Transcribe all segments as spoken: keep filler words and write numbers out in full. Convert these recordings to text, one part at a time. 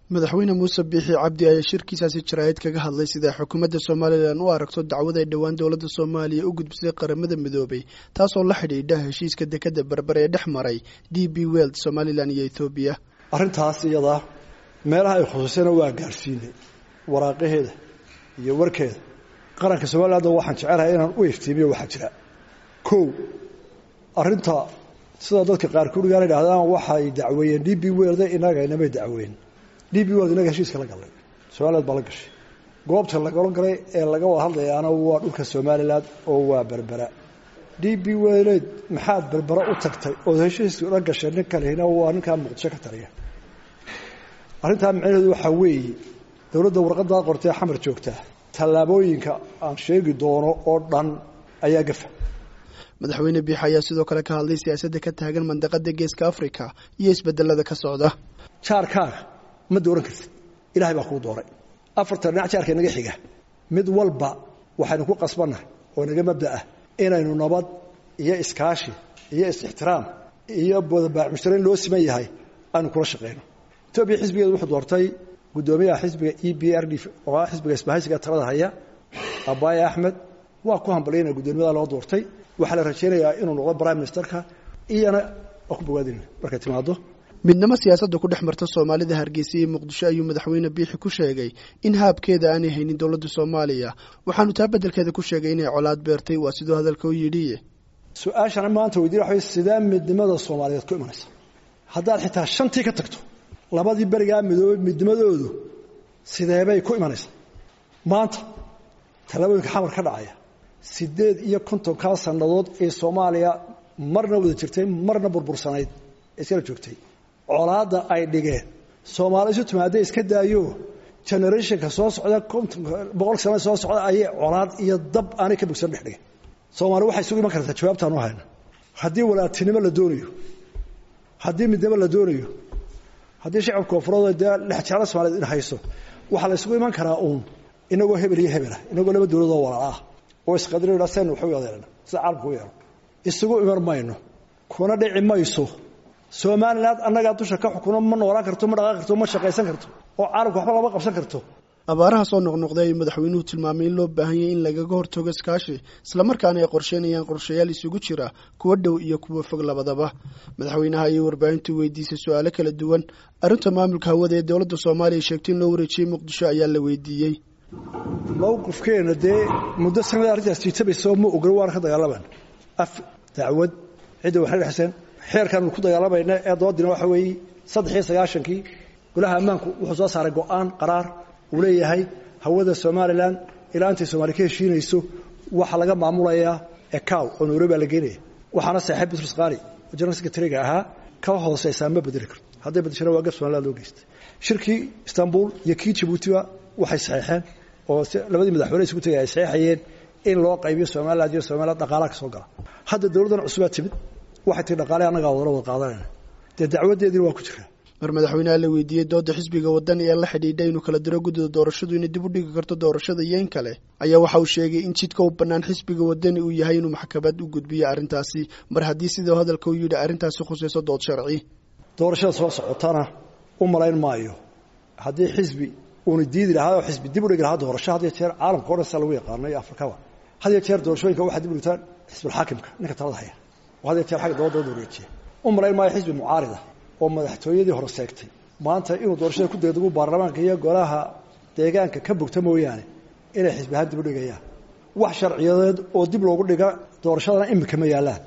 Madaxweyne Muuse Biixi Cabdi ayaa shirkiisaasi jaraa'id kaga hadlay sida xukuumadda Somalilan u aragto dacwad ay dhowaan dowladda Soomaaliya u gudbisay Qaramada Midoobay, taasoo la xidhiidha heshiiska dekadda Berbera ee dhex maray D P World, Somalilan iyo Etoobiya. Arrintaas iyadaa meelaha ay khusuusana waa gaarsiinay waraaqaheeda iyo warkeeda. Qaranka Somaliland waxaan jecelahay inaan u iftiimiyo waxaa jira. Kow, arrinta sida dadka qaarkood gaar yidhaahdaan waxay dacweeyeen D P World, inaga inamay dacweyn. D P World inaga heshiiska la galnay, Somaliland baa la gashay. Goobta laga galay ee laga wada hadlayaana waa dhulka Somaliland oo waa Berbera. D P World maxaad Berbera u tagtay oo heshiiska la gashay nin kalena waa ninka Muqdisho ka taliya. Arrintaa micnaheedu waxaa weeye dowladda warqaddaa qortay Xamar joogtaa tallaabooyinka aan sheegi doono oo dhan ayaa gafa. Madaxweyne Biixi ayaa sidoo kale ka hadlay siyaasadda ka taagan mandaqada Geeska Afrika iyo isbedelada ka socda. Jaarkaaga ma dooran kartid, Ilaahay baa kuu dooray. Afartan dhinac jaarka inaga xiga mid walba waxaynu ku qasbannahay oo inaga mabda ah inaynu nabad iyo iskaashi iyo is-ixtiraam iyo wadabaac mushtariin loo siman yahay aynu kula shaqeyno. Etoobiya xisbigeedu wuxuu doortay guddoomiyaha xisbiga E B R D oo ah xisbiga isbahaysiga talada haya, Abaye Axmed. Waa ku hambalyaynaya guddoomiyada loo doortay. Waxaa la rajeynayaa inuu noqdo prime ministerka, iyana waa ku bogaadinayna markay timaado. Midnimo siyaasadda ku dhex marta Soomaalida Hargeysa iyo Muqdisho ayuu madaxweyne Biixi ku sheegay in haabkeeda aanay haynin dowladda Soomaaliya, waxaanu taa beddelkeeda ku sheegay inay colaad beertay, waa siduu hadalka u yidhi. Su-aashana maanta weydiin waxa sidee midnimada Soomaaliyeed ku imanaysa haddaad xitaa shantii ka tagto labadii berigaa midoobay midnimadoodu sideebay ku imanaysaa? Maanta tallaabooyinka Xamar ka dhacaya sideed iyo kontonkaa sannadood ee Soomaaliya marna wada jirtay marna burbursanayd iskala joogtay, colaadda ay dhigeen Soomaali isu timaadday iska daayo generationka soo socda kontonka boqol sano soo socda ayay colaad iyo dab aanay ka bogsan dhex dhigeen. Soomaali waxay isugu iman kartaa jawaabtaan u hayna haddii walaaltinimo la doonayo, haddii midnimo la doonayo, haddii shacabka koonfureed dee lexjeclo Soomaaliyeed in hayso, waxaa la isugu iman karaa uun inagoo hebel iyo hebel ah, inagoo laba dowladoo walaala ah oo isqadarina saynu wax u yeelana sida caalamku u yeelo. Isugu iman mayno, kuna dhici mayso. Somaliland annagaa dusha ka xukuno, ma noolaan karto, ma dhaqaaqi karto, ma shaqaysan karto, oo caalamka waxba lama qabsan karto. Abaaraha soo noqnoqday ayuu madaxweynuhu tilmaamay in loo baahan yahay in lagaga hortago iskaashi, islamarkaana ay qorsheynayaan qorshayaal isugu jira kuwa dhow iyo kuwa fog labadaba. Madaxweynaha ayay warbaahintu weydiisay su-aalo kala duwan. Arrinta maamulka hawada ee dowladda Soomaaliya sheegtay in loo wareejiyey Muqdisho ayaa la weydiiyey. Mowqifkeena dee muddo sanada arrintaas jiitabayso ma ogolo, waana ka dagaalamayna af dacwad cidda waxna dhexseen xeerkaanu ku dagaalamayna ee doodina waxa weeye saddex iyo sagaashankii golaha ammaanku wuxuu soo saaray go'aan qaraar uu leeyahay hawada Somaliland ilaa intay Soomaali ka heshiinayso waxaa laga maamulayaa ECAO oo Nairobi la geenaya. Waxaana saaxiib Bitrus Qaali oo general secretary-ga ahaa ka hooseysaa ma bedeli karto, hadday bedeshana waa gaf Somaliland loo geystay. Shirkii Istanbul iyo kii Jabuutiba waxay saxeexeen oo labadii madaxweyne isugu tagay ay saxeexayeen in loo qaybiyo Somaliland iyo Somaliland dhaqaalaha ka soo gala. Hadda dowladdan cusubaa timid waxay tii dhaqaale annagaa wada wada qaadanayna, dee dacwadeediina waa ku jiraa. Mar madaxweynaha la weydiiyey dooda xisbiga Wadani ee la xidhiidha inuu kala diro guddida doorashadu inay dib u dhigi karto doorashada iyo in kale, ayaa waxa uu sheegay in jidka u bannaan xisbiga Wadani uu yahay inuu maxkamad u gudbiyo arrintaasi, mar haddii siduu hadalka u yidhi arrintaasi khusayso dood sharci. Doorashada soo socotana u malayn maayo haddii xisbi uuna diidi lahaa oo xisbi dib u dhigi lahaa doorasho. Had iyo jeer caalamka o dhan sida lagu yaqaano iyo Afrikaba had iyo jeer doorashooyinka waxaa dib u dhigtaan xisbulxaakimka ninka talada haya oo had iyo jeer xagga dooda wareejiya. U malayn maayo xisbi mucaarida oo madaxtooyadii hore seegtay maanta inuu doorashada ku degdego baarlamaanka iyo golaha deegaanka ka bogta mooyaane inay xisbi ahaan dib u dhigayaan. Wax sharciyadeed oo dib loogu dhiga doorashadana iminka ma yaallaan.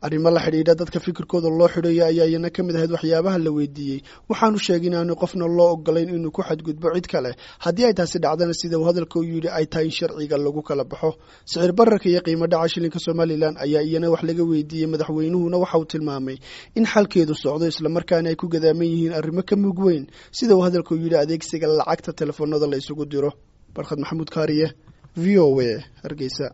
Arrimo la xidhiidha dadka fikirkooda loo xidhayo ayaa iyana ka mid ahayd waxyaabaha la weydiiyey. Waxaanu sheegay in aanu qofna loo ogolayn inuu ku xadgudbo cid kale, haddii ay taasi dhacdana sida uu hadalka u yidhi ay tahay in sharciga lagu kala baxo. Sicir bararka iyo qiimo dhaca shilinka Somalilan ayaa iyana wax laga weydiiyey. Madaxweynuhuna waxa uu tilmaamay in xalkeedu socdo, islamarkaana ay ku gadaaman yihiin arrimo ka mug weyn sida uu hadalka u yidhi adeegsiga lacagta telefoonada la isugu diro. Barkhad Maxamuud Kaariye, V O A, Hargeysa.